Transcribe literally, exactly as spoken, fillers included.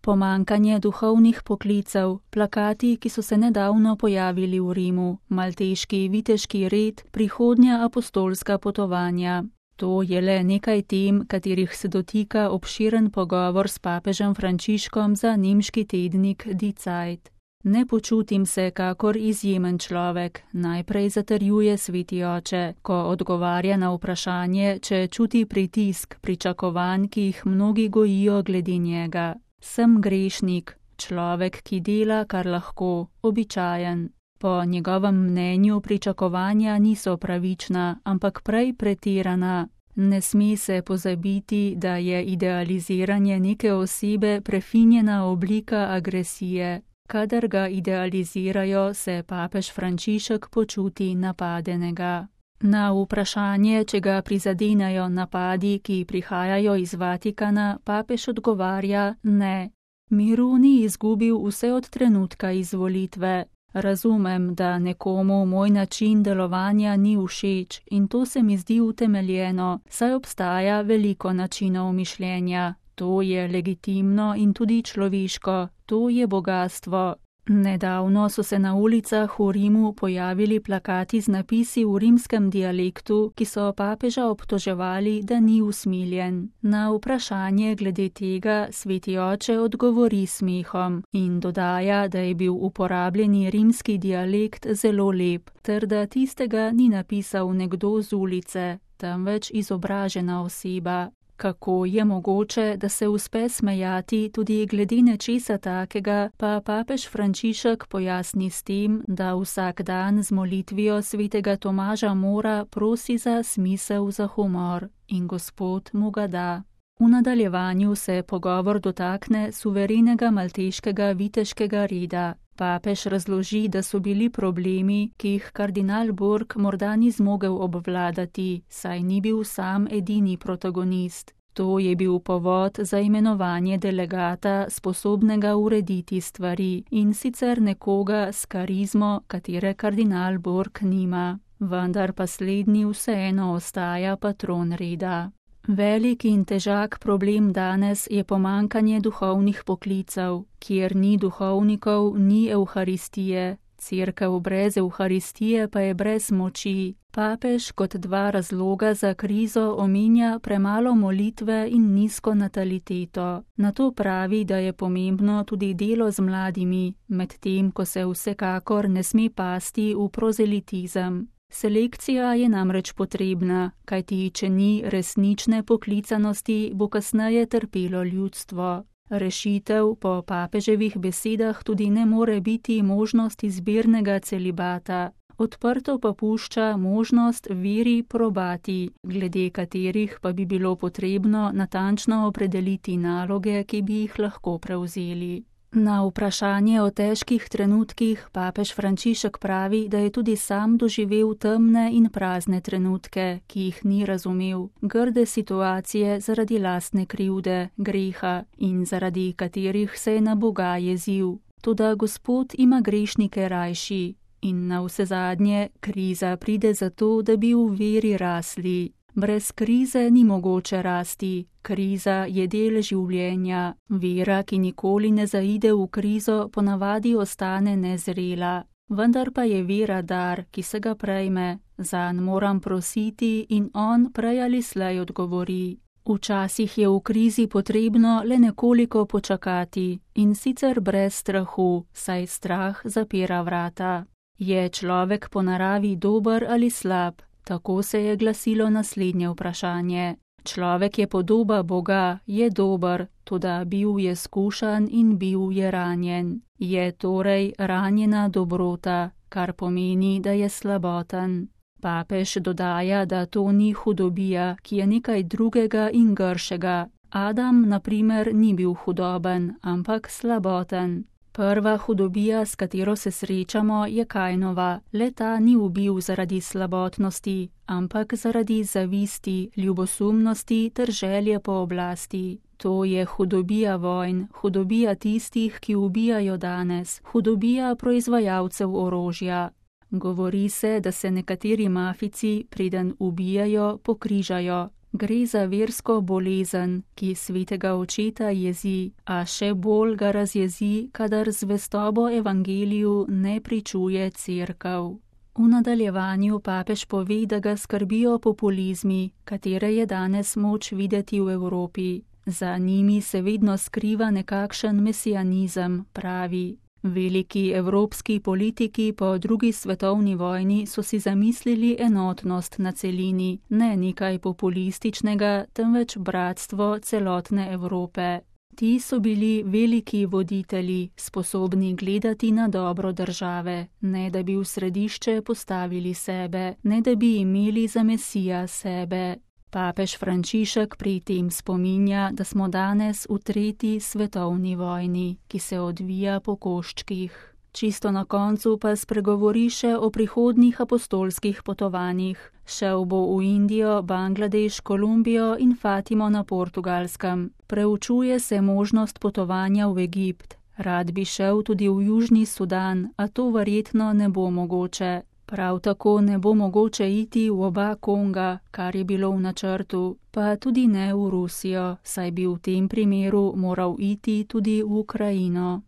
Pomankanje duhovnih poklicev, plakati, ki so se nedavno pojavili v Rimu, malteški viteški red, prihodnja apostolska potovanja. To je le nekaj tem, katerih se dotika obširen pogovor s papežem Frančiškom za nemški tednik Die Zeit. Ne počutim se kakor izjemen človek, najprej zatrjuje sveti oče, ko odgovarja na vprašanje, če čuti pritisk pričakovanj, ki jih mnogi gojijo glede njega. Sem grešnik, človek, ki dela, kar lahko, običajen. Po njegovem mnenju pričakovanja niso pravična, ampak prej pretirana. Ne sme se pozabiti, da je idealiziranje neke osebe prefinjena oblika agresije. Kadar ga idealizirajo, se papež Frančišek počuti napadenega. Na vprašanje, če ga prizadenajo napadi, ki prihajajo iz Vatikana, papež odgovarja ne. Miru ni izgubil vse od trenutka izvolitve. Razumem, da nekomu moj način delovanja ni všeč in to se mi zdi utemeljeno, saj obstaja veliko načinov mišljenja. To je legitimno in tudi človeško, to je bogastvo. Nedavno so se na ulicah v Rimu pojavili plakati z napisi v rimskem dialektu, ki so papeža obtoževali, da ni usmiljen. Na vprašanje glede tega sveti oče odgovori smehom in dodaja, da je bil uporabljeni rimski dialekt zelo lep, ter da tistega ni napisal nekdo z ulice, temveč izobražena oseba. Kako je mogoče, da se uspe smejati tudi glede nečesa takega, pa papež Frančišek pojasni s tem, da vsak dan z molitvijo svetega Tomaža Mora prosi za smisel za humor in Gospod mu ga da. V nadaljevanju se pogovor dotakne suverenega malteškega viteškega reda. Papež razloži, da so bili problemi, ki jih kardinal Borg morda ni zmogel obvladati, saj ni bil sam edini protagonist. To je bil povod za imenovanje delegata, sposobnega urediti stvari, in sicer nekoga s karizmo, katere kardinal Borg nima. Vendar pa slednji vseeno ostaja patron reda. Velik in težak problem danes je pomankanje duhovnih poklicev. Kjer ni duhovnikov, ni evharistije. Cerkev brez evharistije pa je brez moči. Papež kot dva razloga za krizo omenja premalo molitve in nizko nataliteto. Nato pravi, da je pomembno tudi delo z mladimi, medtem ko se vsekakor ne sme pasti v prozelitizem. Selekcija je namreč potrebna, kajti če ni resnične poklicanosti, bo kasneje trpelo ljudstvo. Rešitev po papeževih besedah tudi ne more biti možnost izbirnega celibata. Odprto pa pušča možnost veri probati, glede katerih pa bi bilo potrebno natančno opredeliti naloge, ki bi jih lahko prevzeli. Na vprašanje o težkih trenutkih papež Frančišek pravi, da je tudi sam doživel temne in prazne trenutke, ki jih ni razumel, grde situacije zaradi lastne krivde, greha in zaradi katerih se je na Boga jezil. Toda Gospod ima grešnike rajši in navsezadnje kriza pride zato, da bi v veri rasli. Brez krize ni mogoče rasti, kriza je del življenja, vera, ki nikoli ne zaide v krizo, ponavadi ostane nezrela. Vendar pa je vera dar, ki se ga prejme, zanj moram prositi in on prej ali slej odgovori. Včasih je v krizi potrebno le nekoliko počakati in sicer brez strahu, saj strah zapira vrata. Je človek po naravi dober ali slab? Tako se je glasilo naslednje vprašanje. Človek je podoba Boga, je dober, toda bil je skušan in bil je ranjen. Je torej ranjena dobrota, kar pomeni, da je slaboten. Papež dodaja, da to ni hudobija, ki je nekaj drugega in gršega. Adam, na primer, ni bil hudoben, ampak slaboten. Prva hudobija, s katero se srečamo, je Kainova. Le ta ni ubil zaradi slabotnosti, ampak zaradi zavisti, ljubosumnosti ter želje po oblasti. To je hudobija vojn, hudobija tistih, ki ubijajo danes, hudobija proizvajalcev orožja. Govori se, da se nekateri mafici, preden ubijajo, pokrižajo. Gre za versko bolezen, ki svetega očeta jezi, a še bolj ga razjezi, kadar zvestobo evangeliju ne pričuje cerkev. V nadaljevanju papež pove, da ga skrbijo populizmi, katere je danes moč videti v Evropi. Za njimi se vedno skriva nekakšen mesianizem, pravi. Veliki evropski politiki po drugi svetovni vojni so si zamislili enotnost na celini, ne nekaj populističnega, temveč bratstvo celotne Evrope. Ti so bili veliki voditelji, sposobni gledati na dobro države, ne da bi v središče postavili sebe, ne da bi imeli za mesija sebe. Papež Frančišek pri tem spominja, da smo danes v tretji svetovni vojni, ki se odvija po koščkih. Čisto na koncu pa spregovori še o prihodnjih apostolskih potovanjih. Šel bo v Indijo, Bangladeš, Kolumbijo in Fatimo na Portugalskem. Preučuje se možnost potovanja v Egipt. Rad bi šel tudi v Južni Sudan, a to verjetno ne bo mogoče. Prav tako ne bo mogoče iti v oba Konga, kar je bilo v načrtu, pa tudi ne v Rusijo, saj bi v tem primeru moral iti tudi v Ukrajino.